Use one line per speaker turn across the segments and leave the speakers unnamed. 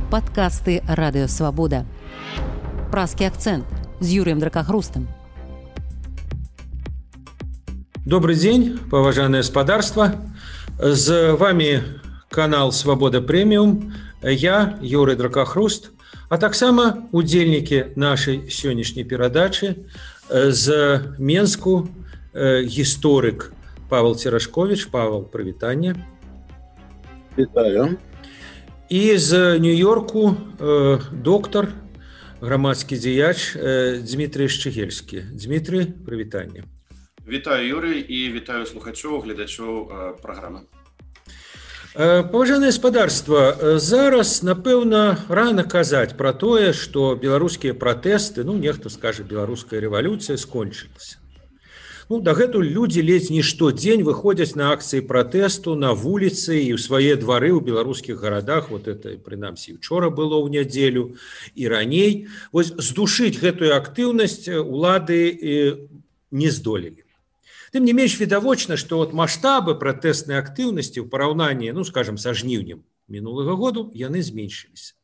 Падкасты радыёвабода. Празкі акцэнт з Юрыем Дракахрустам.
Добрый день, поважанное господарство. С вами канал «Свобода Премиум». Я, Юрий Дракахруст, а таксама удзельнікі нашай сённяшняй перадачы з Менску гісторык Павел Церашкович. Павел, прывітанне.
Вітаю.
І з Нью-Йорку доктор, грамадскі дзеяч Дмітрий Шчыгельскі. Дмітрий, прывітанне.
Вітаю, Юрий, і вітаю слухачоў, гледачоў праграмы.
Паважанае гаспадарства, зараз, напэўна, рана казаць пра тое, што беларускія пратэсты, нехта скажа, беларуская рэвалюцыя скончылася. Дагэтуль людзі ледзь не штодзень выходзяць на акцыі пратэсту, на вуліцы і ў свае двары ў беларускіх гарадах. Это, прынамсі, учора было ў нядзелю і раней. Вось здушыць гэтую актыўнасць улады не здолелі. Тым не менш відавочна, што маштабы пратэснай актыўнасці ў параўнанні, скажам, са жніўнем мінулага году, яны зменшыліся.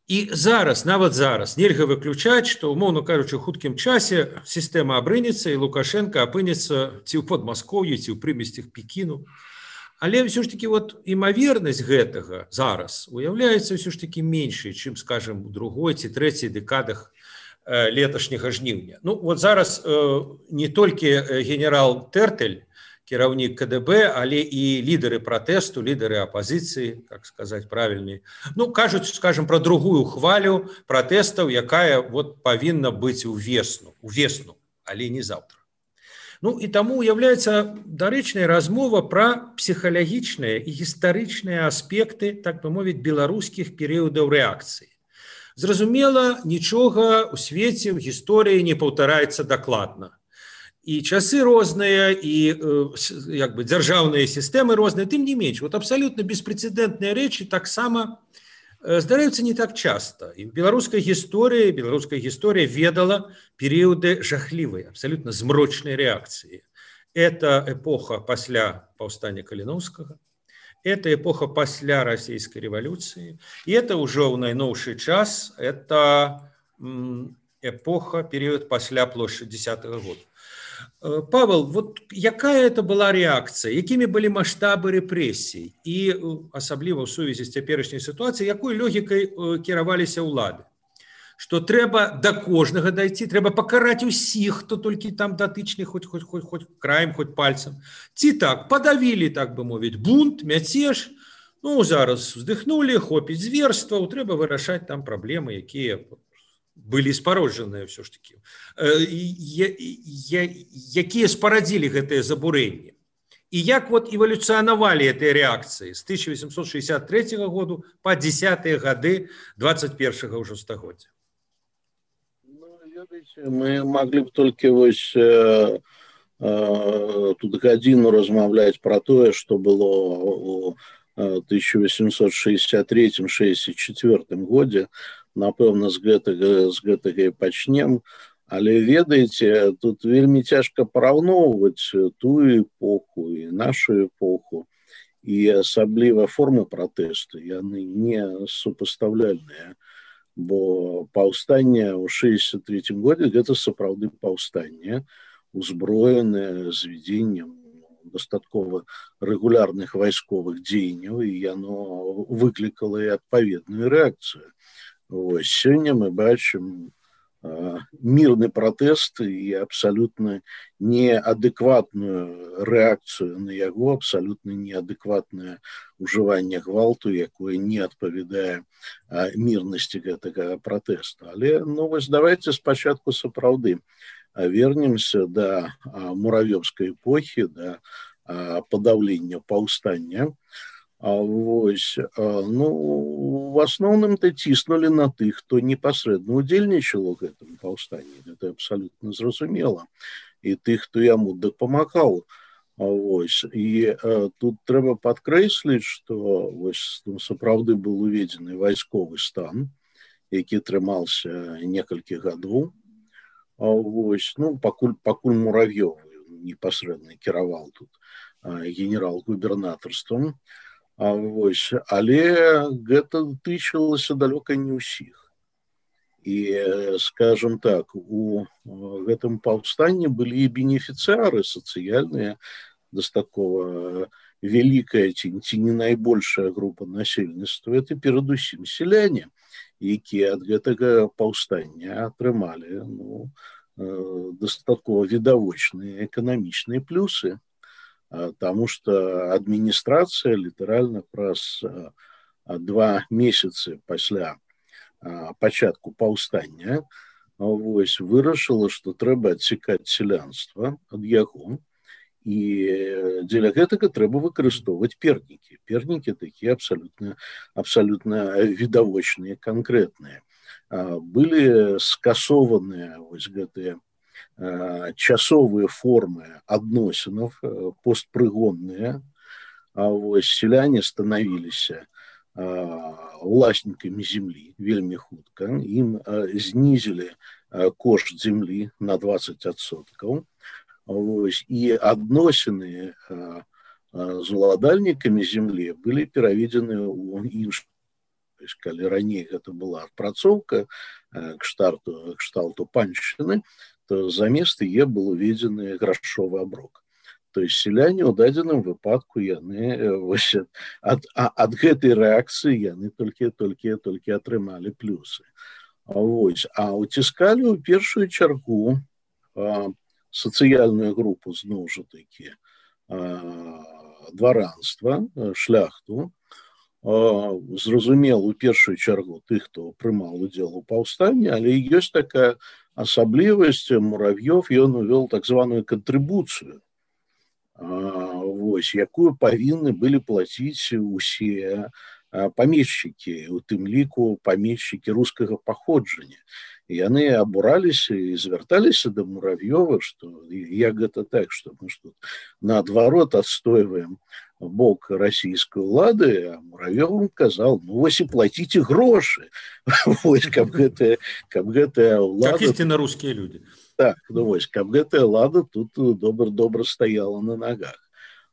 І зараз, нават зараз, нельга выключаць, што, умоўна кажучы, у хуткім часе сістэма абрынецца і Лукашенко апынецца ці ў Падмаскоўі, ці ў прымесцях Пекіну. Але ўсё ж такі імавернасць гэтага зараз уяўляецца ўсё ж такі меншай, чым, скажам, у другой ці трэцяй дэкадах леташняга жніўня. Зараз не толькі генерал Тэртэль, кіраўнік КДБ, але і лідары пратэсту, лідары апазіцыі, как сказаць правільней, кажуць, скажем, пра другую хвалю пратэстаў, якая павінна быць у весну, але не заўтра. І таму уяўляецца дарэчная размова пра псіхалагічныя і гістарычныя аспекты, так бы мовіць, беларускіх перыядаў рэакцыі. Зразумела, нічога ў свеце, ў гісторыі не паўтараецца дакладна. І часы розныя, і дзяржаўныя сістэмы розныя, тым не менш, абсалютна беспрэцэдэнтныя рэчы таксама здараюцца не так часта. І беларуская гісторыя ведала перыяды жахлівай, абсалютна змрочнай рэакцыі. Это эпоха пасля паўстання Каліноўскага, это эпоха пасля расійскай рэвалюцыі, і это ўжо ў найноўшы час, это эпоха, перыяд пасля плошчы 10-го года. Павел, якая это была рэакцыя, якімі былі маштабы рэпрэсій і асабліва ў сувязі з цяперашняй сітуацыяй, якой логікай кіраваліся ўлады? Што трэба да кожнага дайти, трэба пакараць усіх, хто толькі там датычны, хоць краем, хоць пальцам. Ці так, падавілі, так бы мовіць, бунт, мяцеж, зараз уздыхнулі, хопіць зверстваў, трэба вырашаць там праблемы, якія былі спароджаныя ўсё ж такі, якія спарадзілі гэтыя забурэнні. І як эвалюцыянавалі гэтыя рэакцыі з 1863 году па 10-е гады 21-го ўжо стагоддзя?
Мы маглі б толькі тут гадзіну размаўляць пра тое, што было ў 1863-64 годзе. Напэўна, з гэтага і пачнем. Але ведаеце, тут вельмі цяжка параўноўваць тую эпоху і нашу эпоху. І асабліва формы пратэсту, яны не супастаўляльныя. Бо паўстанне ў 63-м годзе гэта сапраўды паўстанне, узброенае з вядзеннем дастаткова рэгулярных вайсковых дзеянняў, і яно выклікала і адпаведную рэакцыю. Сёння мы бачым мірны пратэст і абсалютна неадэкватную рэакцыю на яго, абсалютна неадэкватнае ўжыванне гвалту, якое не адпавядае мірнасці гэтага пратэсту. Але давайце спачатку сапраўды вернемся да муравёўскай эпохі, да падаўлення паўстання. В асноўным-то ціснулі на тых, хто непасрэдна ўдзельнічаў у гэтым паўстанні. Гэта абсалютна зразумела. І тых, хто яму дапамагаў. І тут трэба падкрэсліць, што сапраўды быў уведзены вайсковы стан, які трымаўся некалькі гадоў. Пакуль Муравёў непасрэдна кіраваў тут генерал-губернатарствам. Вось, але гэта тычылася далёка не ўсіх. І, скажем так, у гэтым паўстанні былі і бенефіцыары сацыяльныя, дастаткова вялікая ці не найбольшая група насельніцтва, это перадусім сяляне, якія ад гэтага паўстання атрымалі дастаткова відавочныя эканамічныя плюсы, таму што адміністрацыя літаральна праз 2 месяцы пасля пачатку паўстання вырашыла, што трэба адсекаць сялянства ад яго, і дзеля гэтага трэба выкарыстоўваць пернікі. Пернікі такія абсалютна відавочныя, канкрэтныя. Былі скасованыя гэтыя часовыя формы адносінаў, постпрыгонныя. Сяляне станавіліся уласнікамі землі вельмі хутка. Ім знізілі кошт землі на 20%. І адносіны з уладальнікамі землі былі пераведзены ў іншыя. Калі раней гэта была адпрацоўка кшталту паншчыны, то замест яе был уведзены грашовы аброк. То есть сяляне ў дадзеным выпадку яны ад гэтай рэакцыі яны толькі атрымалі плюсы. А уціскалі ў першую чаргу сацыяльную групу, зноў жа такі, дваранства, шляхту. Зразумела, у першую чаргу тых, хто прымаў удзел у паўстанні, але ёсць такая асаблівасць. Мурав'ёв, ён увёл так званую кантрыбуцыю, якую павінны былі плаціць усе памешчыкі, у тым ліку памешчыкі рускага паходжання. І яны абураліся і звярталіся да Мурав'ёва, што як гэта так, што мы ж тут наадварот адстойваем бок расійскай улады, а Мурав'ёв казаў, вось і плаціце грошы, каб гэтая ўлада...
Как істинно рускія людзі.
Так, каб гэтая ўлада тут добра стаяла на нагах.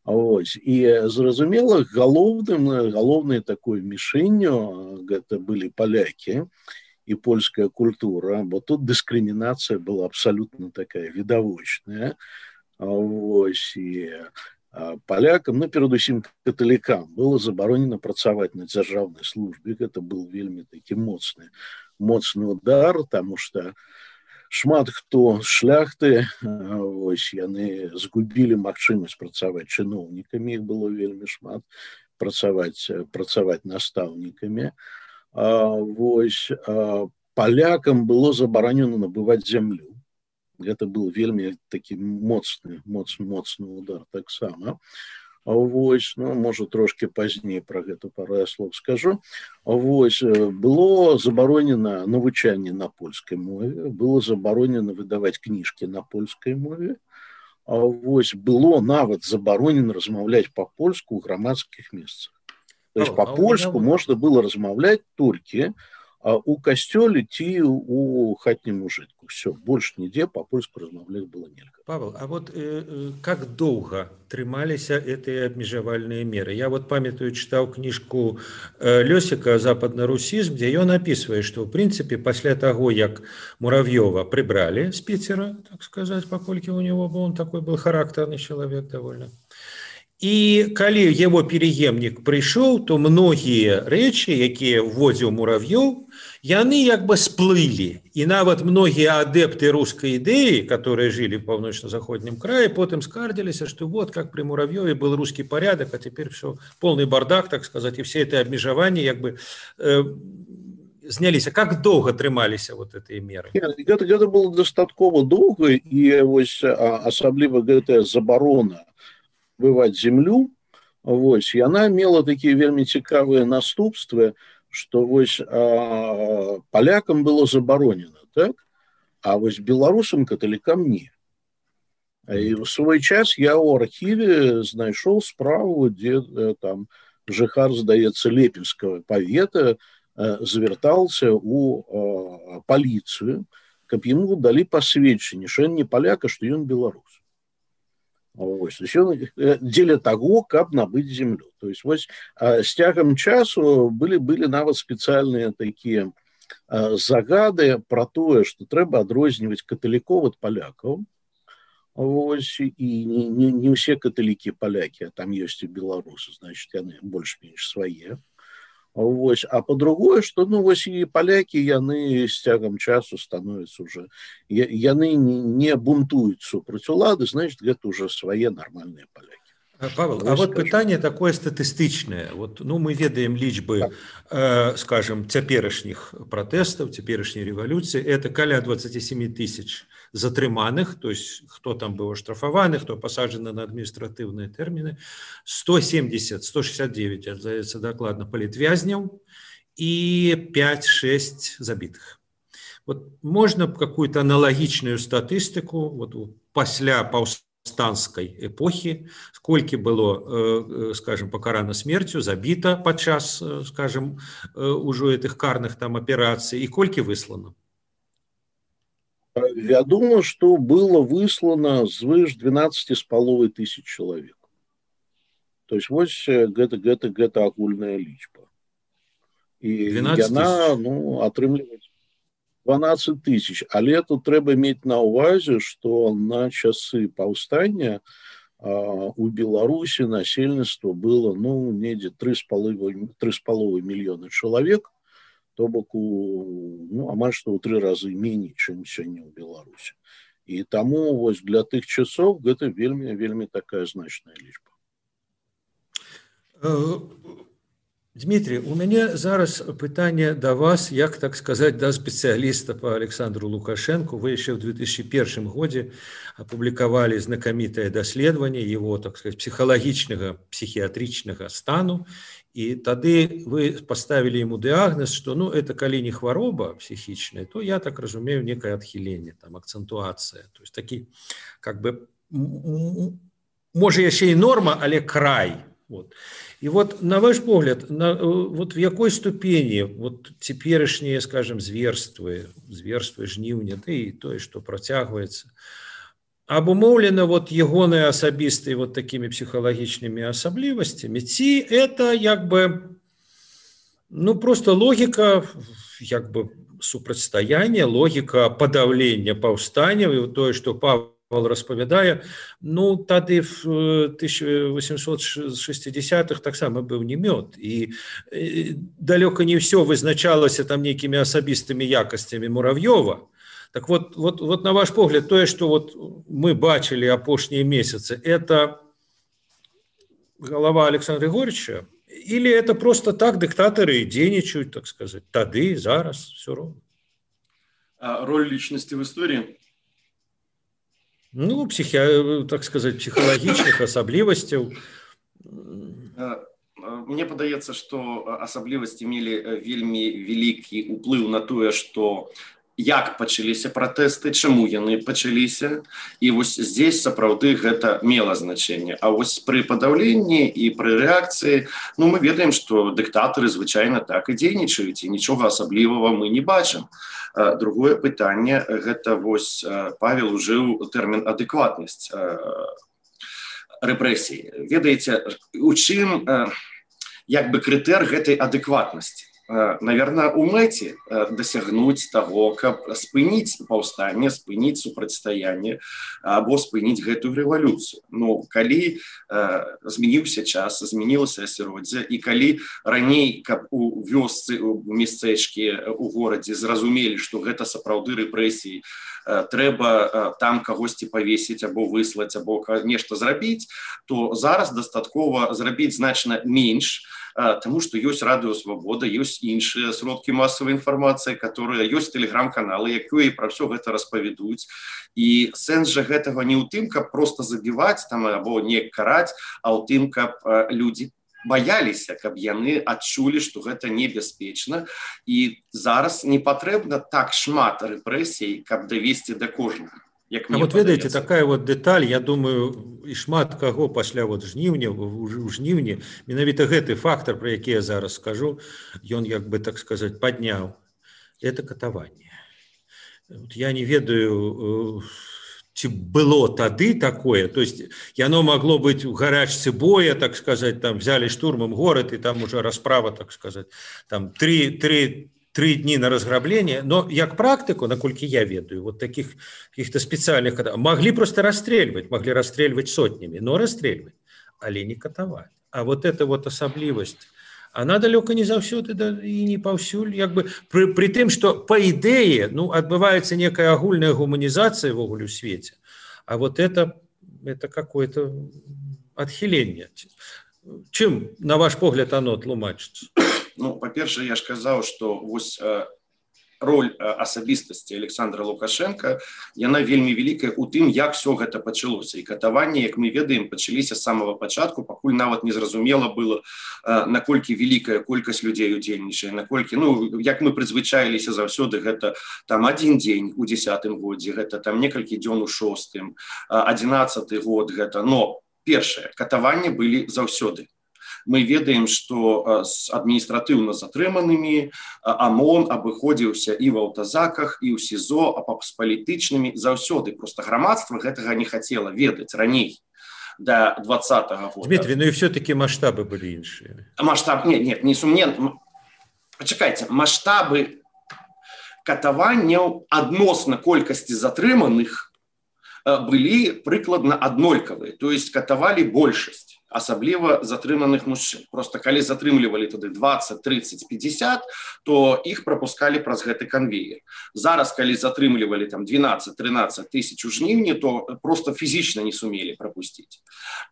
І зразумела, галоўнай такой мішэнню гэта былі палякі і польская культура, бо тут дыскрымінацыя была абсалютна такая відавочная. І палякам, перадусім каталікам, было забаронена працаваць на дзяржаўнай службе. Гэта быў вельмі такі моцны удар, таму што шмат хто з шляхты, яны згубілі магчымасць працаваць чыноўнікамі, іх было вельмі шмат, працаваць настаўнікамі. Палякам было забаронена набываць зямлю. Гэта быў вельмі такі моцны удар таксама. Можа, трошки пазней пра гэта пару слоў скажу. Было забаронена навучанне на польскай мове, было забаронена выдаваць кніжкі на польскай мове. Было нават забаронена размаўляць па-польску ў грамадскіх месцах. То есть па-польску можна было размаўляць толькі у касцёле ці у хатнім ужытку. Все, больш нідзе па-польску размаўляць было нельга.
Павел, а как доўга трымаліся гэтыя абмежавальныя меры? Я памятаю, чытаў кніжку Лёсіка «Западны русізм», дзе ён апісвае, што, ў прынцыпе, пасля таго, як Мурав'ёва прыбралі з Піцера, так сказаць, паколькі ў него он такой был характарны чалавек давольна. І калі яго пераемнік прыйшоў, то многія рэчы, якія вводзіў Мурав'ёў, яны сплылі. І нават многія адэпты рускай ідэі, которые жили в паўночна-заходнім краі, потым скардзіліся, што как при Мурав'ёве был русский порядок, а теперь все полный бардак, так сказать, и все это абмежаванні зняліся. Как доўга трымаліся гэтыя меры?
Гэта было дастаткова доўга, і асабліва гэтая забарона бываць землю, яна мела такія вельмі цікавыя наступствы, што палякам было забаронена, так? А беларусам, каталікам не. І ў свой час я ў архіве знайшоў справу, дзе там жыхар, здаецца, Лепельскага павета звяртаўся ў паліцыю, каб яму далі пасведчанне, што ён не паляк, а што ён беларус. Вось. Дзеля таго, каб набыць землю. То есть вось з цягам часу былі нават спецыяльныя такія загады про тое, што трэба адрозніваць каталікоў ад палякаў. Вось, і не ўсе каталікі палякі, а там ёсць і беларусы, значит, яны больш-менш свае. Вось. А по-другое, што вось і палякі, яны з цягам часу становяцца уже, яны не бунтуюць супраць улады, значит, гэта уже свае нармальныя палякі.
Павел, а вот пытанне такое статыстычнае. Вот, мы ведаем лічбы, скажем, цяперашніх пратэстаў, цяперашняй рэвалюцыі. Это каля 27 тысяч затрыманых, то есть хто там быў аштрафаваны, хто пасаджаны на адміністратыўныя тэрміны, 169, здаецца дакладна, палітвязняў і 5-6 забітых. Вот можна какую-то аналагічную статыстыку вот, пасля паўстанцкай эпохі, сколькі было, скажем, пакарана смерцю, забіта падчас, скажем, ужо этих карных там аперацый, і колькі выслана?
Вядома, што было выслана звыш 12,5 тысяч чалавек. То есть вось гэта агульная лічба. І яна, атрымліваць 12 тысяч. Але тут трэба мець на ўвазе, што на часы паўстання у Беларусі насельніцтва было, недзе 3,5 мільёны чалавек, то бок амаль што ў 3 разы меней, чым сёння ў Беларусі. І таму вось для тых часоў гэта вельмі такая значная лічба.
Дмитрий, у мяне зараз пытанне да вас, як так сказаць, да спецыяліста по Александру Лукашенку. Вы яшчэ ў 2001 годзе апублікавалі знакамітае даследаванне его, так сказать, псіхалагічнага, псіхіятрычнага стану. І тады вы поставили ему диагноз, что это калі не хвароба психічная, то я так разумею некое адхіленне, там акцентуацыя, то есть такі как бы можа яшчэ і норма, але край. Вот. І вот на ваш погляд, вот в якой ступені вот цяперашнія, скажем, зверствы жніўня, да і тое, што працягваецца, обумоўлена вот ягоныя асабістыя вот такими психологічнымі асаблівасцямі, ці это як бы просто логіка як бы супрацьстаяння, логіка падаўлення паўстанняў, і тое, што Павел распавядае, тады в 1860-х таксама быў не мёд, і далёка не ўсё вызначалася там нейкімі асабістымі якасцямі Муравьёва. Так вот на ваш погляд, тое, что вот мы бачили апошние месяцы, это голова Александра Григорьевича, или это просто так диктаторы дзейнічаюць, так сказать, тады, зараз, все равно?
Роль личности в истории?
Так сказать, психологічных асаблівасцяў.
Мне падаецца, што асаблівасці мелі вельмі вялікі ўплыў на тое, што як пачаліся пратэсты, чаму яны пачаліся, і вось здесь сапраўды гэта мела значэнне. А вось пры падаўленні і пры рэакцыі, мы ведаем, што дыктатары звычайна так і дзейнічаюць, і нічога асаблівага мы не бачым. Другое пытанне, гэта вось Павел ужыў тэрмін адэкватнасць рэпрэсій. Ведаеце, у чым як бы крытэр гэтай адэкватнасці? Наверное, у мэце дасягнуць таго, каб спыніць паўстанне, спыніць супрацьстаянне або спыніць гэтую рэвалюцыю. Калі змяніўся час, змянілася асяроддзе, і калі раней, каб у вёсцы, у мястэчкі, у горадзе зразумелі, што гэта сапраўды рэпрэсіі, трэба там кагосьці павесіць або выслаць, або нешта зрабіць, то зараз дастаткова зрабіць значна менш, тому что ёсць радыё Свабода, ёсць іншыя сродкі масавай інфармацыі, которые ёсць тэлеграм-каналы, якія пра ўсё гэта распавядуць. І сэнс жа гэтага не ў тым, каб просто забіваць там або не караць, а ў тым, каб людзі баяліся, каб яны адчулі, што гэта небяспечна. І зараз не патрэбна так шмат рэпрэсій, каб давесці да кожнага.
Вот ведаеце, такая вот деталь, я думаю, і шмат каго пасля жніўня, у жніўні, менавіта гэты фактор, про які я зараз скажу, ён, як бы так сказать, падняў. Это катаванне. Я не ведаю ці было тады такое, то есть яно могло быть у гарачцы боя, так сказать, там взяли штурмом город, и там уже расправа, так сказать, там три дні на разграбление, но як практыку, наколькі я ведаю, вот таких каких-то специальных могли просто расстрельваць сотнями, но расстрельваць, але не катаваць. А вот эта вот асаблівасць, она далёка не заўсёды і не паўсюль, як бы при тым, што па ідэі адбываецца некая агульная гуманізацыя ввогуле ў свеце, а вот это какое-то адхіленне. Чым, на ваш погляд, оно тлумачыцца?
Ну, па-першае, я ж казаў, што вось роль асабістасці Александра Лукашенка, яна вельмі вялікая ў тым, як все гэта пачалося. І катаванні, як мы ведаем, пачаліся з самага пачатку, пакуль нават незразумела было, наколькі вялікая колькасць людзей удзельнічае, наколькі, як мы прызвычаіліся заўсёды, гэта там адзін дзень у 10-м годзе, гэта там некалькі дзён у 6-м, 11-й год гэта. Но першае, катаванні былі заўсёды. Мы ведаем, што з адміністратыўна затрыманымі ОМОН абыходзіўся і в аўтазаках, і ў СІЗО, а з палітычнымі заўсёды. Просто грамадства гэтага не хацела ведаць раней, до 20-го года.
Дмитрий, и все-таки масштабы были іншыя.
Нет, несумненна. Пачакайце, маштабы катаванняў адносна колькасці затрыманых былі прыкладна аднолькавыя, то есть катавалі большасць, асабліва затрыманых мужчын. Просто калі затрымлівалі тады 20, 30, 50, то іх прапускалі праз гэты канвеер. Зараз, калі затрымлівалі там 12-13 тысяч у жніўні, то просто фізічна не сумелі прапусціць.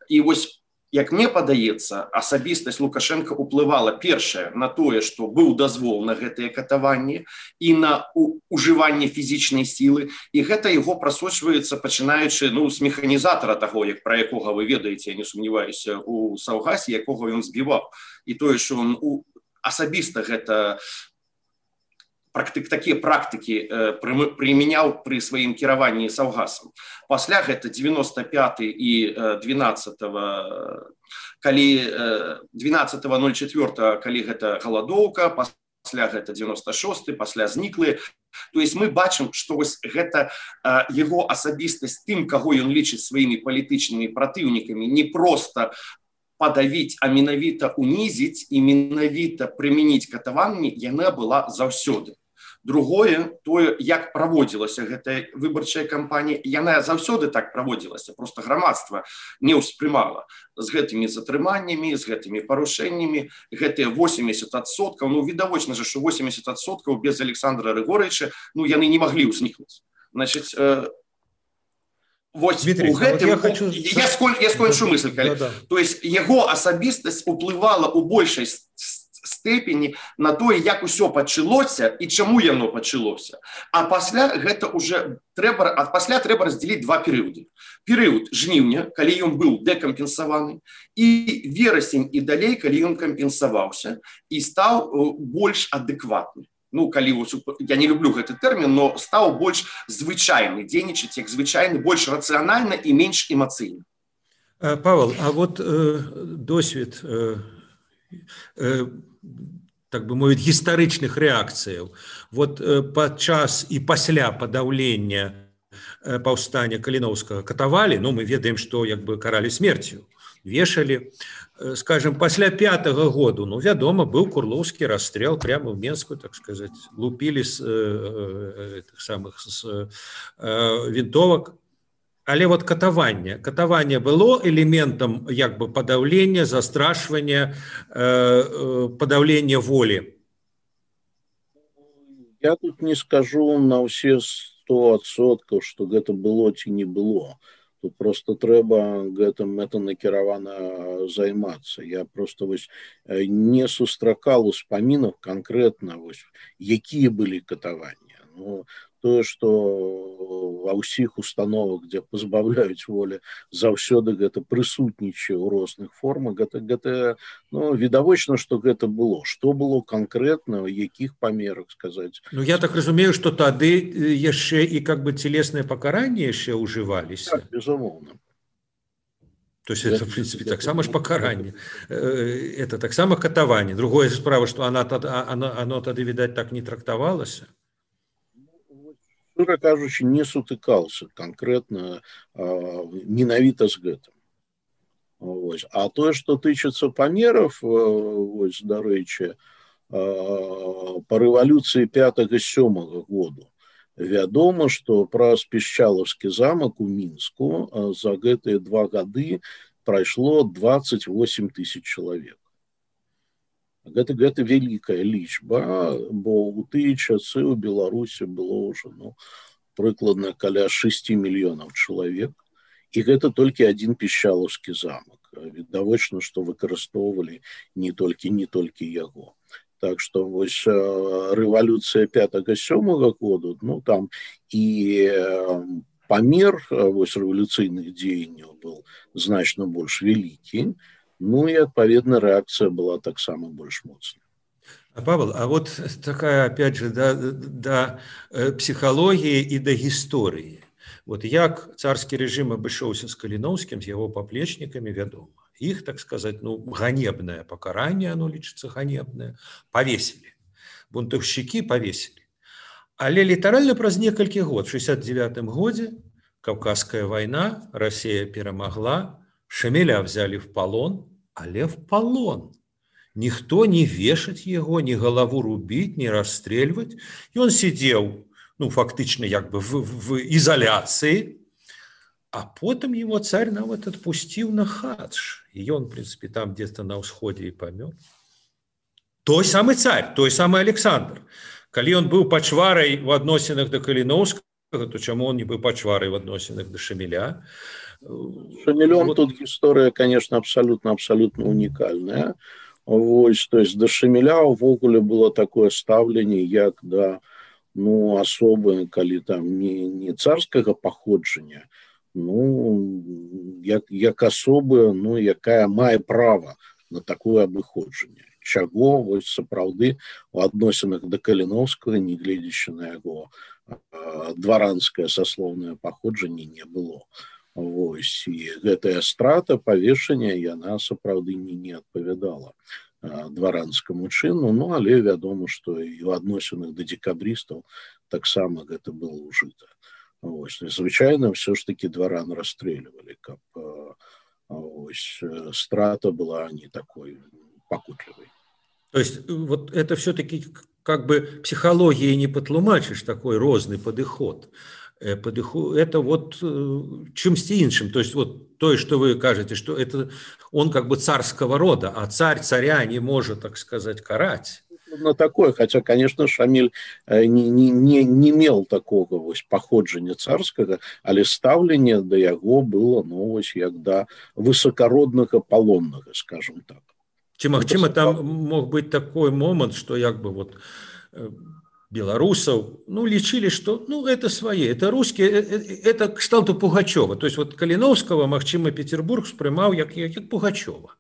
І вось, як мне падаецца, асабістасць Лукашенка ўплывала першае на тое, што быў дазвол на гэтыя катаванні і на ужыванне фізічнай сілы, і гэта яго прасочваецца, пачынаючы з механізатара таго, пра якога вы ведаеце, я не сумняваюся, у Саўгасе, якога ён збіваў. І тое, што ён асабіста гэта такія практыкі прымяняў пры сваім кіраванні Саўгасам. Пасля гэта 95 і 12.04, калі гэта галадоўка, пасля гэта 96, пасля зніклыя. То есть мы бачым, што вось гэта яго асабістасць тым, каго ён лічыць сваімі палітычнымі праціўнікамі, не проста падавіць, а менавіта унізіць і менавіта прымяніць катаванні, яна была заўсёды. Другое, тое, як праводзілася гэтая выбарчая кампанія, яна заўсёды так праводзілася, просто грамадства не ўспрымала з гэтымі затрыманнямі, з гэтымі парушэннямі, гэтыя 80%, відавочна же, што 80% без Александра Григорьевича, яны не маглі ўзнікнуць. Значыць, вось у гэтым, я скончу мысль, то есть яго асабістасць уплывала ў большай степені на тое, як усё пачалося і чаму яно пачалося. А пасля гэта уже трэба раздзяліць два перыяды. Перыяд жніўня, калі ён быў дэкампенсаваны, і верасень і далей, калі ён кампенсаваўся і стаў больш адэкватны. Я не люблю гэты тэрмін, но стаў больш звычайны, дзейнічаць як звычайны, больш рацыянальна і менш эмацыйна.
Павел, а вот досвед так бы мовіць, гістарычных рэакцыяў. Вот падчас і пасля падаўлення паўстання Каліноўскага катавалі, мы ведаем, што каралі смерцю, вешалі. Скажем, пасля 5-го году, вядома, быў курлоўскі расстрел прямо в Менску, так сказать, лупілі з вінтовак. Але вот катаванне было элементам падаўлення, застрашвання, падаўлення волі?
Я тут не скажу на ўсе 100%, што гэта было ці не было. Тут просто трэба гэтым накіравана займацца. Я просто не сустракаў успамінаў канкрэтна, якія былі катаванні. Тое, што ва ўсіх установах, дзе пазбаўляюць волі, заўсёды гэта прысутнічае ў розных формах, гэта відавочна, што гэта было. Што было канкрэтна, у якіх памерах сказаць?
Я так разумею, што тады яшчэ і целесныя пакаранні яшчэ ўжываліся.
Так, безумоўна.
То есть это, в принципе, таксама ж пакаранне. Это таксама катаванне. Другое справа, што оно тады, відаць, так не трактавалася.
Шчыра кажучы, не сутыкаўся канкрэтна менавіта з гэтым. Вось. А тое, што тычыцца памераў, вось, дарэчы, па рэвалюцыі 5-7 году вядома, што праз Пішчалаўскі замак у Мінску за гэтыя 2 гады прайшло 28 000 чалавек. Гэта вялікая лічба, бо ў тыя часы ў Беларусі было ўжо прыкладна каля 6 мільёнаў чалавек, і гэта толькі адзін Пішчалаўскі замак. Відавочна, што выкарыстоўвалі не толькі яго. Так што вось рэвалюцыя 5-7 году, там і памер вось рэвалюцыйных дзеянняў был значна больш вялікі, і адпаведна рэакцыя была таксама больш моцная.
Павел, а вот такая, опять же, да психологии и до истории. Вот як царский режим абышоўся с Калиновским, с его поплечниками, вядома. Их, так сказать, ганебное покарание, оно лічыцца ганебное, повесили. Бунтовщики повесили. Але літаральна праз некалькі год, в 69-м годзе, Кавказская война, Россия перамагла, Шамиля взяли в полон, але в полон. Никто не вешать его, ни голову рубить, ни расстрельвать. И он сидел, фактично, в изоляции, а потом его царь нават отпустил на хадж. И он, в принципе, там где-то на усходе и помер. Той самый царь, той самый Александр. Коли он был пачварай в адносінах до Калиновского, то чему он не был пачварай в адносінах до Шамиля?
Шамилем тут история, конечно, абсолютно уникальная. Вось, то есть до Шамиля увогуле было такое ставленне, як да асобы, калі там не царскага паходжання, як асобы, якая мае права на такое абыходжанне. Чаго вось сапраўды у адносінах да Каліновскага, нягледзячы на яго дваранскае саслоўнае паходжанне, не было. Вось, і гэтая страта павешання, яна сапраўды не адпавядала дваранскаму чыну, але вядома, што і ў адносінах да дзекабрыстаў таксама гэта было ўжыта. Вось, звычайна ўсё ж такі дваран расстрэльвалі, каб страта была не такой пакутлівай.
То есть вот это все-таки как бы психологией не патлумачыш, такой розны падыход. Это вот чымсьці іншым. То есть вот то, что вы кажете, что это он как бы царского рода, а царь царя не может, так сказать, карать.
На такое, хотя, конечно, Шамиль не мел такого вось паходжання царскага, але стаўленне да яго было, як да высокороднага палоннага, скажем так.
Ці магчыма там мог быть такой момент, что як бы вот белорусов, лечили, что, это свои, это русские, это кшталту Пугачева. То есть вот Калиновского, магчыма, Петербург спрымаў як Пугачева.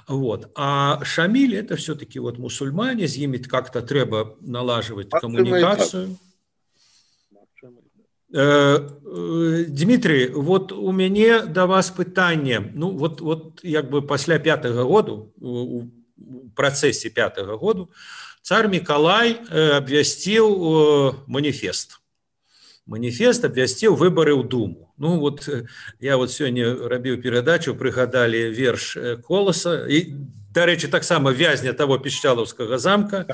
Вот. А Шамиль это все-таки вот мусульмане, с ними как-то треба налаживать коммуникацию. Дмитрий, вот у мяне до вас пытанне, вот як бы пасля 5-го году, у працэсе 5-го году, царь Миколай обвясціў маніфест. Маніфест обвясціў выборы ў Думу. Я вот сёння рабіў перадачу, прыгадалі верш Коласа, і, дарэчы, таксама вязня того Пішчалаўскага замка,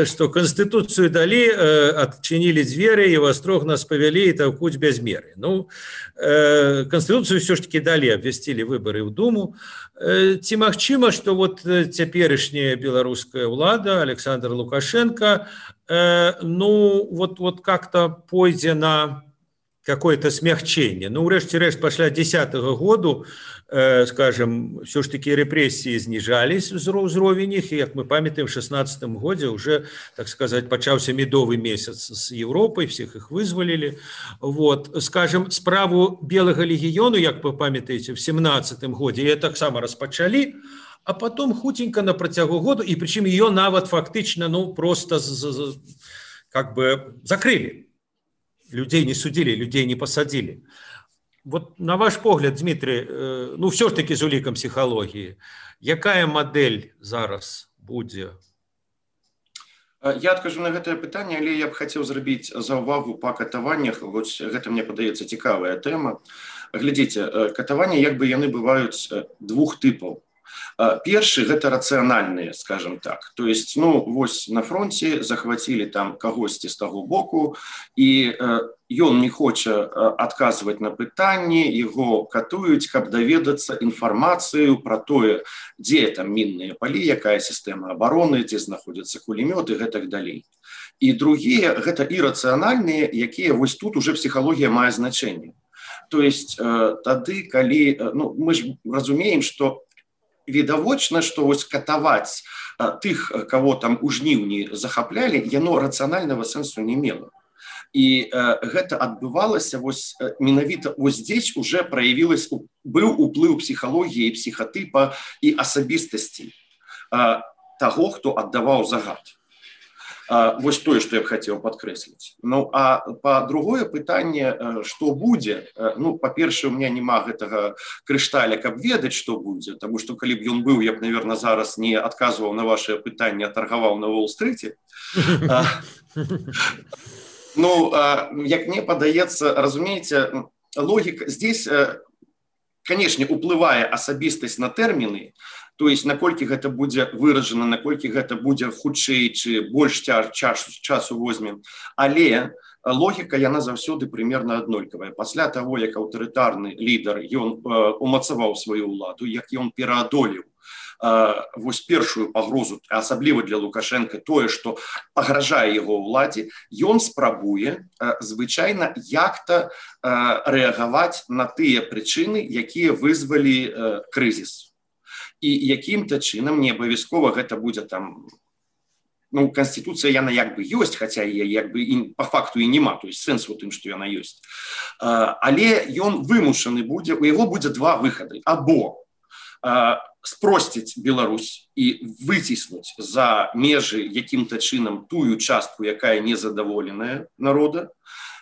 што Конституцыю далі, адчынілі дзверы, і вострог нас павялі і таўкуць без меры. Конституцыю ўсё ж таки далі, абвясцілі выборы ў Думу. Ці магчыма, што вот цяперашняя беларуская ўлада, Александр Лукашенко, вот как-то пойдзе на какое-то смягчение. Урэшце-рэшт, пасля 10-го году, скажем, все ж таки репрессии знижались, узровень их, и, как мы памятаем, в 16-м годзе уже, так сказать, пачаўся медовый месяц с Европой, всех их вызволили. Вот, скажем, справу Белого легиону, как вы памятаете, в 17-м годзе, ее таксама распачалі, а потом хутенько на працягу году, и причем ее нават фактично, просто как бы закрыли. Людей не судили, людей не посадили. Вот на ваш погляд, Дмитрий, все ж таки з улікам психологии, якая модель зараз будзе?
Я адкажу на гэтае пытанне, але я б хацеў зрабіць заўвагу па катаваннях. Вось гэта мне падаецца цікавая тэма. Глядзіце, катаванні як бы яны бываюць двух тыпаў. Першы гэта рацыянальныя, скажем так. То есть, ну, вось на фронте захвацілі там кагосьці з таго боку, і ён не хоча адказваць на пытанні, яго катуюць, каб даведацца інфармацыю пра тое, дзе там мінныя палі, якая сістэма абароны, дзе знаходзяцца кулемёты і гэтак далей. І другія гэта ірацыянальныя, якія вось тут уже псіхалогія мае значэнне. То есть тады, калі, ну, мы ж разумеем, што відавочна, што вось катаваць тых, каго там у жніўні захаплялі, яно рацыянальнага сэнсу не мела. І гэта адбывалася вось менавіта вось здесь уже праявілась, быў уплыў псіхалогіі, псіхатыпа і асабістасці таго, хто аддаваў загад. Вось тое, што я б хацеў падкрэсліць. Ну, а па другое пытанне, што будзе, ну, па-першае, у меня няма гэтага крышталя, каб ведаць, што будзе, таму што калі б ён быў, я б, наверное, зараз не адказваў на вашыя пытанні, а таргаваў на Уолл-стрыце. Ну, як мне падаецца, разумееце, логіка, здесь, канешне, уплывае асабістасць на тэрміны, то есть наколькі гэта будзе выражана, наколькі гэта будзе хутчэй ці больш часу возьме. Але логіка, яна заўсёды прымерна аднолькавая. Пасля таго, як аўтарытарны лідар, ён умацаваў сваю ўладу, як ён пераадолеў вось першую пагрозу, асабліва для Лукашенка, тое, што пагражае яго ўладзе, ён спрабуе звычайна як-то рэагаваць на тыя прычыны, якія вызвалі крызіс. І якім-то чынам, не абавязкова гэта будзе там, ну, Конституцыя яна як бы ёсць, хаця як бы па факту і няма, то есть сэнс у тым, што яна ёсць. Але ён вымушаны будзе, у яго будзе два выхады. Або спросціць Беларусь і выціснуць за межы якім-то чынам тую частку, якая незадаволеная народа,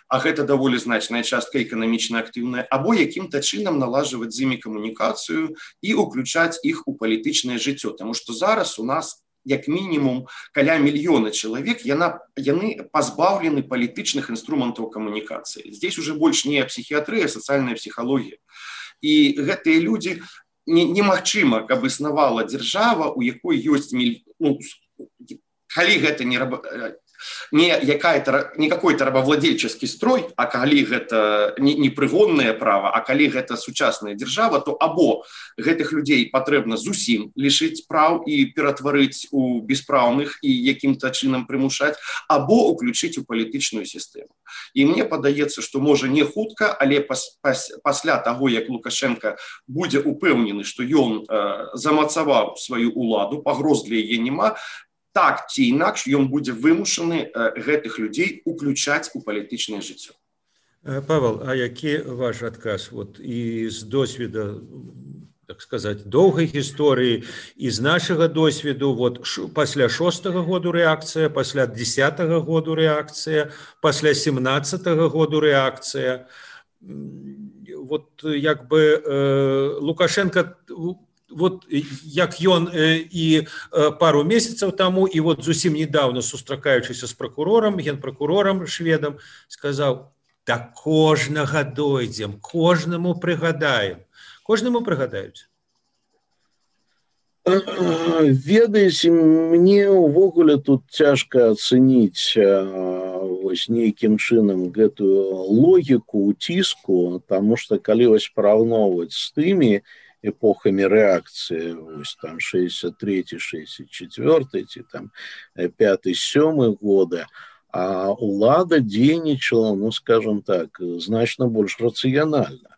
а гэта даволі значная частка эканамічна актыўная, або якім-то чынам налажваць з імі камунікацыю і ўключаць іх у палітычнае жыццё. Таму што зараз у нас як мінімум каля мільёна чалавек, яны пазбаўлены палітычных інструментаў камунікацыі. Здесь уже больш не псіхіятрыя, а сацыяльная псіхалогія. І гэтыя людзі немагчыма, каб існавала дзяржава, у якой ёсць, ну, калі гэта не какой-то рабовладельческий строй, а калі гэта не прыгоннае права, а калі гэта сучасная дзяржава, то або гэтых людзей патрэбна зусім лішыць праў і ператварыць у беспраўных і якім-то чынам прымушаць, або уключыць у палітычную сістэму. І мне падаецца, што можа не хутка, але пасля таго, як Лукашенко будзе упэўнены, што ён замацаваў сваю ўладу, пагроз для яе няма, так ці інакш ён будзе вымушаны гэтых людзей уключаць у палітычнае жыццё.
Павел, а які ваш адказ? Вот і з досвіда, так сказаць, доўгай гісторыі, і з нашага досвіду, вот пасля 6-го году рэакцыя, пасля 10-го году рэакцыя, пасля 17-го году рэакцыя. Вот як бы Лукашенко, вот як ён і пару месяцаў таму, і вот зусім недавно, сустракаючыся з прокурорам, генпрокурорам шведам, сказаў: да кожнага дойдзем, кожнаму прыгадаем. Кожнаму прыгадаюць.
Ведаеце, мне ўвогуле тут цяжка ацэніць вось нейкім чынам гэтую логіку уціску, таму што калі вось параўноўваць з тымі эпохами реакции, ось там 63-й, 64-й, ці там 5-7 годы, а улада дзейнічала, ну, скажем так, значна больш рацыянальна.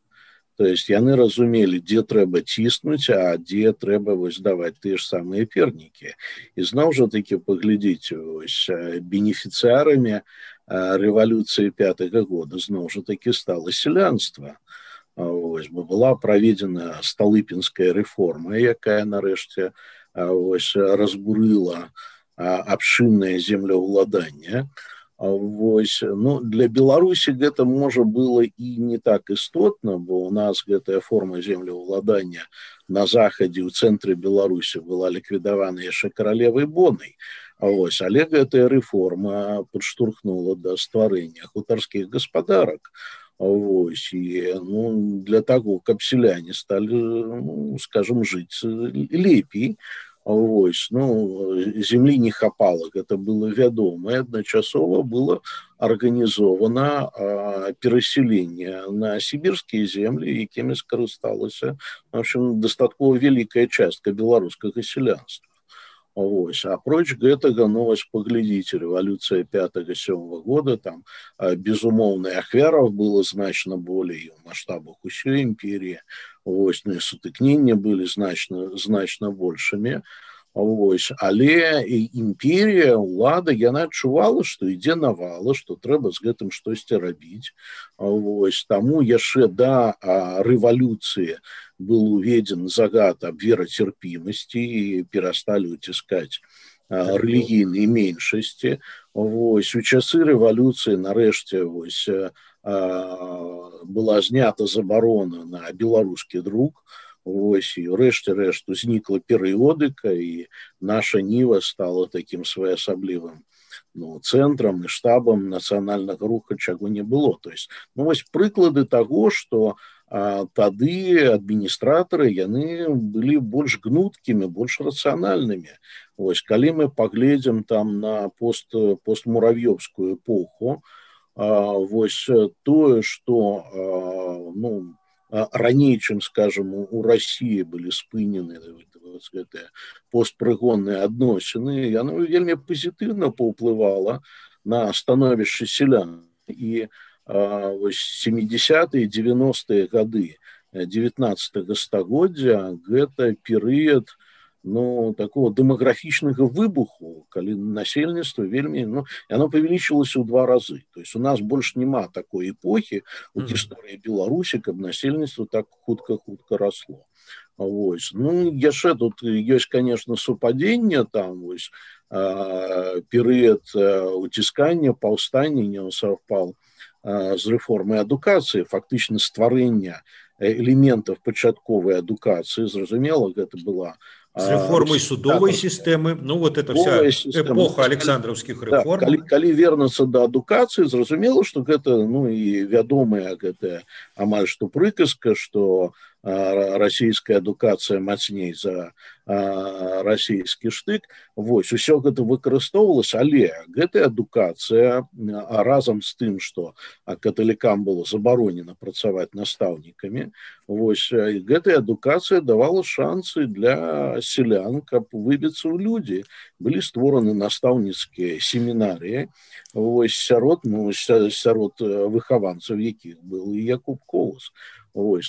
То есть яны разумелі, дзе трэба ціснуць, а дзе трэба вось даваць тыя ж самыя пернікі. І зноў жа такі паглядзіце, вось бенефіцыарамі рэвалюцыі 5-го года зноў жа такі стала сялянства. Ось, была праведзена сталыпінская рэформа, якая нарэшце ось разбурыла абшыннае землеўладанне. Ось, ну, для Беларусі гэта можа было і не так істотна, бо у нас гэтая форма землеўладання на захадзе ў цэнтры Беларусі была ліквідавана яшчэ каралевай Бонай. Але гэтая рэформа падштурхнула да стварэння хутарскіх гаспадарак. І для таго, каб сяляне сталі, скажем, жыць лепей. Землі не хапала, гэта было вядома, і адначасова было арганізована перасяленне на сібірскія землі, якімі скарысталася, в общем, дастаткова вялікая частка беларускага сялянства. Апроч гэтага, паглядзіце, рэвалюцыя 5-7 года, там, безумоўна, ахвяраў было значна болей у маштабах усёй імперіі, сутыкненні былі значна большымі. Але імперія, улада, яна адчувала, што ідзе навала, што трэба з гэтым штосьці рабіць. Таму яшчэ да рэвалюцыі был уведзен загад аб верацярпімасці і перасталі ўціскаць рэлігійныя меншасці. У часы рэвалюцыі нарэшце была знята забарона на беларускі друк. І рэшце рэшт узнікла перыёдыка, і наша Ніва стала такім своеасаблівым цэнтрам і штабам нацыянальнага руха, чаго не было. Прыклады таго, што тады адміністратары, яны былі больш гнуткімі, больш рацыянальнымі. Калі мы паглядзім там на постмуравёўскую эпоху, тое, што раней, чым, скажем, у России былі спынены гэтыя постпрыгонныя адносіны, яно вельмі пазітыўна паўплывала на становішча сялян. І 70-е, 90-е гады 19-го стагоддзя гэта перыяд такого дэмаграфічнага выбуху, калі насельніцтва вельмі, яно павялічылася ў 2 разы. То есть у нас больш няма такой эпохі у гісторыі Беларусі, каб насельніцтва так хутка расло. Яшчэ тут ёсць, конечно, супадзенне, там перыяд уціскання, паўстання не саўпаў з рэформай адукацыі, фактычна стварэння элементаў пачатковай адукацыі. Зразумела, гэта была
с реформой судовой системы, это вся эпоха Александровских реформ.
Калі вернуцца да адукацыі, зразумела, што гэта, і вядомая гэтая амаль што прыказка, што расійская адукацыя мацней за расійскі штык. Усё гэта выкарыстоўвалася, але гэтая адукацыя разам з тым, што каталікам было забаронена працаваць настаўнікамі, гэтая адукацыя давала шансы для сялян, каб выбіцца ў людзі. Былі створаны настаўніцкія семінарыі сярод выхаванцаў, якіх был і Якуб Колас.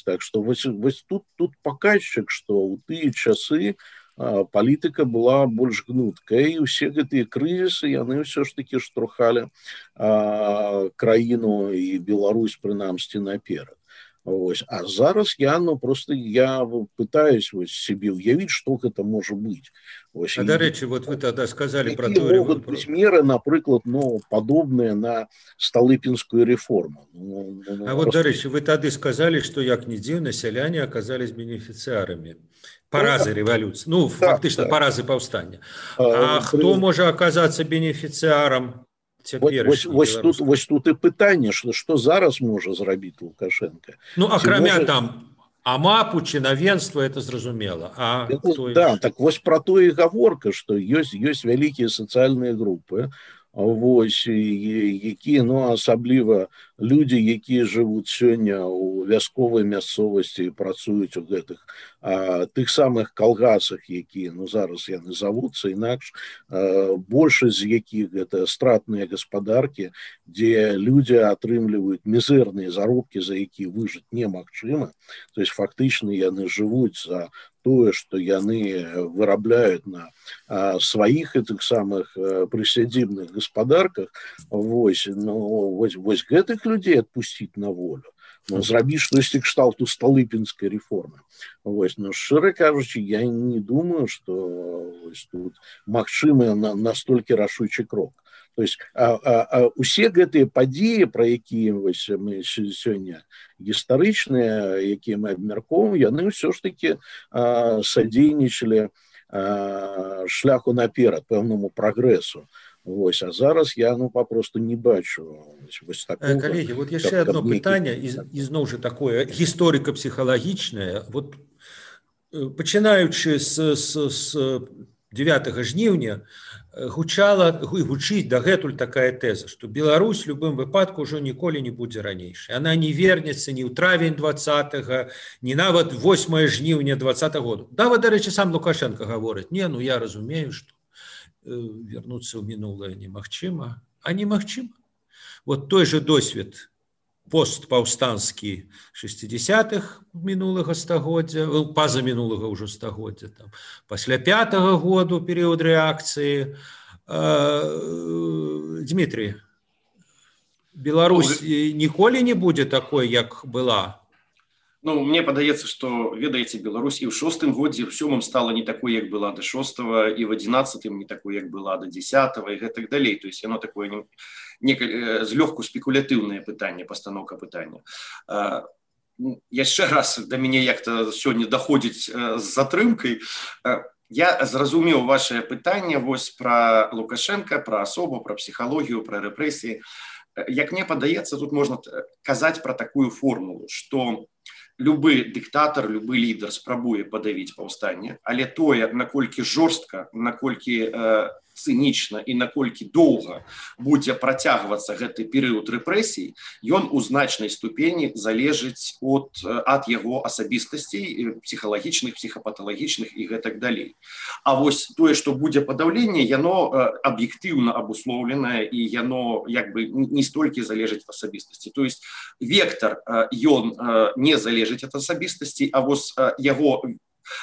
Так што тут паказчык, што ў тыя часы палітыка была больш гнуткая, і ўсе гэтыя крызісы, яны ўсё ж такі штурхалі краіну і Беларусь, прынамсі, наперад. А зараз я пытаюсь себе уявить, что это может быть.
Дарэчы, вы тогда сказали про
то, могут быть меры, например, подобные на Столыпинскую реформу.
Дарэчы, вы тогда сказали, что як ни дзіўна, сяляне оказались бенефициарами паразы революции, фактично паразы повстания. А кто может оказаться бенефициаром?
Тут і пытанне, што зараз можа зрабіць Лукашенко.
Акрамя там АМАПу, чынавенства, это зразумела.
Так про то і гаворка, што ёсць вялікія сацыяльныя групы, якія, асабліва людзі, якія жывуць сёння ў вясковай мясцовасці і працуюць у гэтых тых самых калгасах, якія зараз яны завуцца інакш, большасць з якіх гэта стратныя гаспадаркі, дзе людзі атрымліваюць мізэрныя заробкі, за якія выжыць немагчыма. То есть фактычна яны жывуць за тое, што яны вырабляюць на сваіх гэтых самых прысядзібных гаспадарках. Гэтых людзей адпусціць на волю, зрабіць штосьці кшталту Столыпинской реформы. Шчыра кажучы, я не думаю, што тут магчымы настолькі рашучы крок. То есть усе гэтыя падзеі, пра якія мы сёння гістарычныя, якія мы абмяркоўваем, яны ўсё ж такі садзейнічалі шляху наперад, пэўнаму прагрэсу. Вось, а зараз я папросту не бачу вось такого.
Коллеги, вот яшчэ одно пытанне, ізноў жа такое гісторыка-псіхалагічнае. Вот пачынаючы з 9 жніўня гучыць дагэтуль такая тэза, што Беларусь у любым выпадку ўжо ніколі не будзе ранейшай. Она не вернецца ні ў травень 20-го, ні нават 8 жніўня 20-го году. Нават, дарэчы, сам Лукашенко гаворыць: не, я разумею, што вернуцца ў мінулае немагчыма, а немагчыма. Вот той же досвед постпаўстанскі 60-х мінулага стагоддзя, паза мінулага ўжо стагоддзя, пасля 5-го году перыяд рэакцыі. Дмітрий, Беларусь ніколі не будзе такой, як была?
Мне падаецца, што, ведаеце, Беларусь і ў 6-м годзе, і ў 7-м стала не такой, як была да 6-го, і ў 11-м не такой, як была да 10-го, і гэтак далей. То есть яно такое злёгку спекулятыўнае пытанне, пастаноўка пытання. Яшчэ раз да мяне як-то сёння даходзіць з затрымкай. Я зразумеў вашае пытанне вось пра Лукашенка, пра асобу, пра псіхалогію, пра рэпрэсіі. Як мне падаецца, тут можна казаць пра такую формулу, што любы дыктатар, любы лідар спрабуе падавіць паўстанне, але тое, наколькі жорстка, наколькі цынічна і наколькі доўга будзе працягвацца гэты перыяд рэпрэсій, ён у значнай ступені залежыць ад яго асабістасцей, псіхалагічных, псіхапаталагічных і гэтак далей. А вось тое, што будзе падаўленне, яно аб'ектыўна абуслоўленае, і яно не столькі залежыць ад асабістасці. То есть вектор, ён не залежыць ад асабістасці, а вось яго,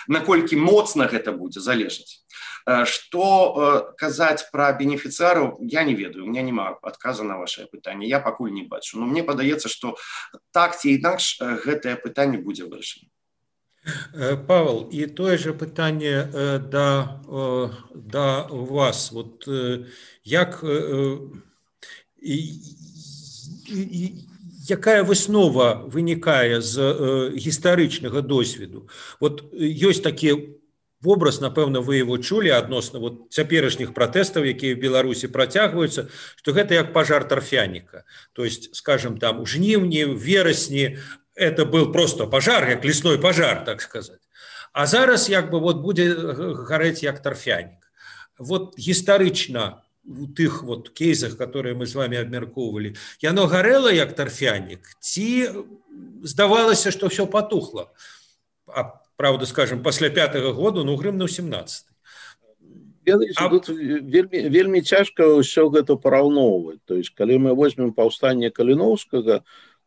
наколькі моцна гэта будзе залежыць. Што казаць пра бенефіцыараў, я не ведаю, у меня няма адказа на вашае пытанне, я пакуль не бачу. Но мне падаецца, што так ці інакш гэтае пытанне будзе вырашана.
Павел, і тое же пытанне да вас. Вот як якая выснова вынікае з гістарычнага досведу? Вот ёсць такі вобраз, напэўна, вы его чулі адносна цяперашніх пратэстаў, якія ў Беларусі працягваюцца, што гэта як пажар тарфяніка. То есть, скажем, там у жніўні, в верасні это был просто пажар, як лесной пажар, так сказать. А зараз будзе гарэць як тарфянік. Вот гістарычна у тых кейсах, которые мы з вами абмяркоўвалі, яно гарэла як тарфянік, ці здавалася, што ўсё патухла? Правда, скажем, пасля 5-го году, грымнуў 17-й.
Тут вельмі цяжка ўсё гэта параўноўваць. То есть, калі мы возьмем паўстанне Каліноўскага,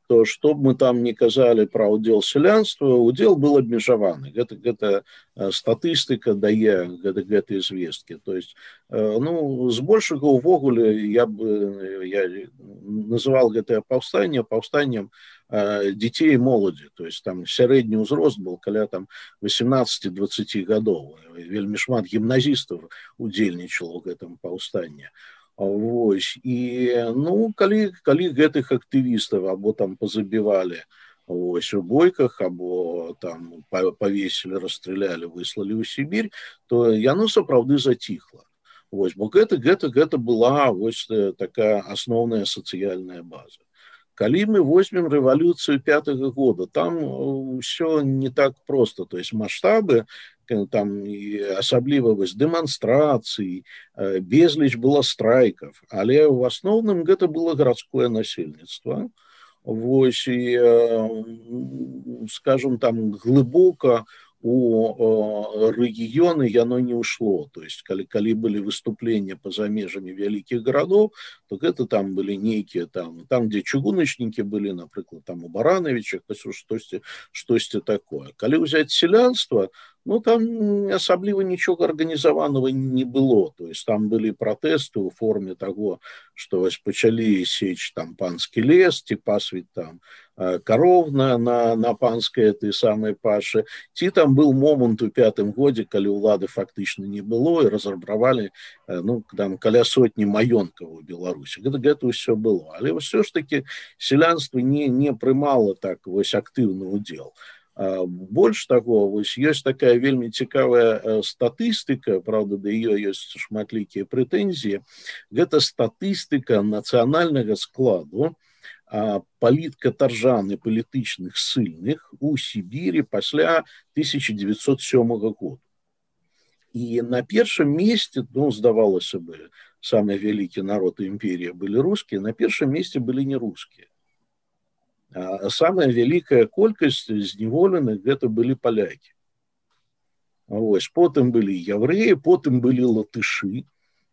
то што б мы там не казалі пра ўдзел сялянства, удзел был абмежаваны. Гэта статыстыка дае гэтыя звесткі. То есть, збольшага увогуле я называл гэтае паўстанне паўстаннем дзяцей і моладзі. То есть там сярэдні ўзрост был каля 18-20 гадоў. Вельмі шмат гімназістаў удзельнічало ў гэтым паўстанні. Вось. І калі гэтых актывістаў або там пазабівалі у бойках, або там павесілі, расстралялі, выслалі ў Сібір, то яно сапраўды заціхла. Вось. Бо гэта была вось такая асноўная сацыяльная база. Калі мы возьмем рэвалюцыю 5-го года, там ўсё не так проста. То есть маштабы, там асабліва дэманстрацыі, безліч было страйкаў, але ў асноўным гэта было гарадское насельніцтва. Вось, і, скажем, там глыбока у рэгіёны яно не ўшло. То есть, калі былі выступлення па-за межамі вялікіх гарадоў, то гэта там былі нейкія там, дзе чыгуначнікі былі, напрыклад, там у Баранавічах, штосьці такое. Калі ўзяць сялянства, там асабліва нічога арганізаванага не было. То есть там былі пратэсты ў форме таго, што вось пачалі сечь там панскі лес, ці пасвіць там кароў на панскай этой самай пашы. Ці там был момант у 5-м годзе, калі ўлады фактычна не было і разрабравалі там каля сотні маёнткаў у Беларусі. Гэта ўсё было. Але ўсё ж таки сялянства не прымала так вось актыўны ўдзел. Больш таго, вось ёсць такая вельмі цікавая статыстыка, правда, да ее ёсць шматлікія прэтэнзіі. Гэта статыстыка нацыянальнага складу паліткатаржан і палітычных ссыльных у Сібірі пасля 1907 года. І на першым месцы, ну, здавалася бы, самы вялікі народ імперії былі рускія, на першым месцы былі не рускія. А самая вялікая колькасць зняволеных гэта былі палякі. Вось, потым былі яўрэі, потым былі латышы.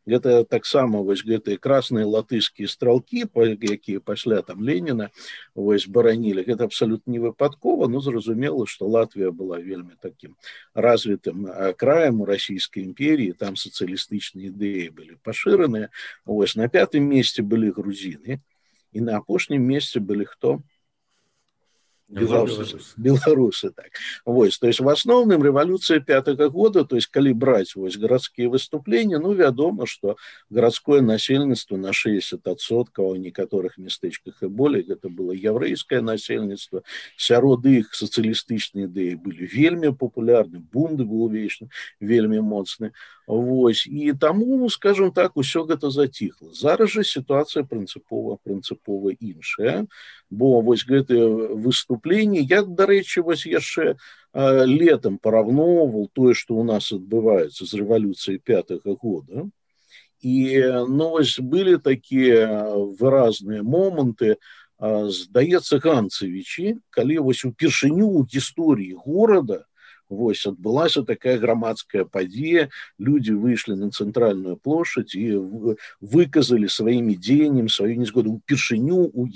Гэта таксама вось гэтыя красныя латышскія стралкі, якія пасля там Леніна вось баранілі. Гэта абсалютна не выпадкова, но зразумела, што Латвія была вельмі такім развітым краем у расійскай імперіі, там сацыялістычныя ідэі былі пашыраныя. Вось, на 5-м месцы былі грузіны, і на апошнім месцы былі хто? Беларусы, так. Вось, то есть в асноўным рэвалюцыя 5-го года, то есть калі браць вось гарадскія выступленні, ну, вядома, што гарадское насельніцтва на 60%, у некаторых мястэчках і болей, гэта было яўрэйскае насельніцтва, сярод іх сацыялістычныя ідэі былі вельмі папулярны, бунт быў вельмі моцны. Вось, і таму, скажем так, усё гэта заціхла. Зараз жа сітуацыя прынцыпова іншая, бо вось гэтыя выступленні, я, дарэчы, вось яшчэ летам параўноўваў тое, што ў нас адбываецца з рэвалюцыяй 5-го года, і, ну, вось былі такія выразныя моманты, здаецца, Ганцевічі, калі вось упершыню ў гісторыі горада вось адбылася такая грамадская падзея, людзі выйшлі на цэнтральную плошадь і выказалі сваімі дзеяннем сваю незгоду упершыню ў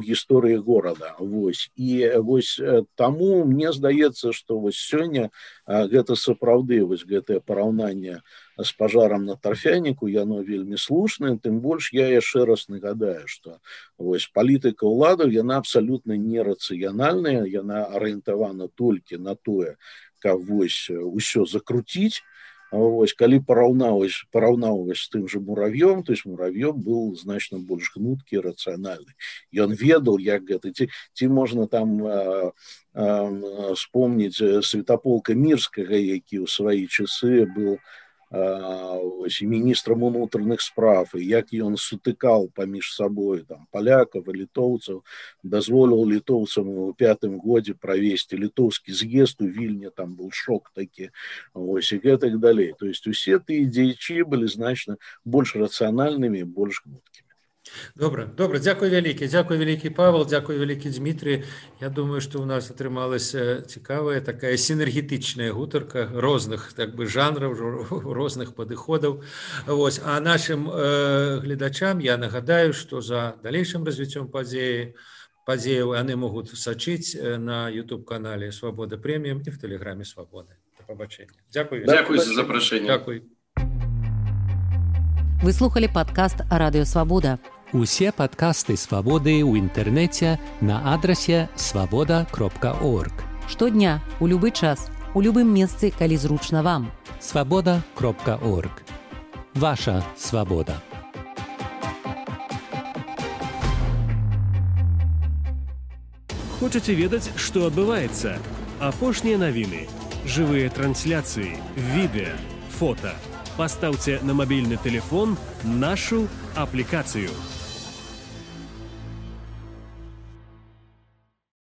гісторыі горада. Вось. І вось таму мне здаецца, што вось сёння гэта сапраўды вось гэтае параўнанне з пажарам на тарфяніку, яно вельмі слушнае, тым больш я яшчэ раз нагадаю, што вось палітыка ўладаў, яна абсалютна нерацыянальная, яна арыентавана толькі на тое, каб вось усё закруціць. Вось, калі параўнаўваць з тым жа Муравьём, то есть Муравьём быў значна больш гнуткі, рацыянальны. Ён ведаў, як гэта, ці можна там вспомніць Святаполка Мірскага, які ў свае часы быў міністрам унутраных спраў, і як ён сутыкаў паміж сабой там палякаў і літоўцаў, дазволіў літоўцам у 5-м годзе правесці літоўскі з'езд у Вільні, там быў шок такі, вось, і гэтак далей. То есть усе тыя дзеячы былі значна больш рацыянальнымі, больш гнуткімі.
Добра, дзякуй вялікі Павел, дзякуй вялікі Дмітрий. Я думаю, што ў нас атрымалася цікавая такая сінергетычная гутарка розных так бы жанраў, розных падыходаў. Вось, а нашим гледачам я нагадаю, што за далейшым развіццём падзеяў яны могуць сачыць на YouTube-канале Свабода Прэміум і в Тэлеграме Свабоды. Да пабачэння. Дзякуй
за запрашэнне.
Дзякуй.
Вы слухали падкаст Радыё Свабода.
Усе падкасты Свабоды ў інтэрнэце на адрасе свабода.орг.
Штодня, у любы час, у любым месцы, калі зручна вам.
свабода.орг. Ваша свабода.
Хочаце ведаць, што адбываецца? Апошнія навіны, жывыя трансляцыі, відэа, фота. Пастаўце на мабільны тэлефон нашу аплікацыю.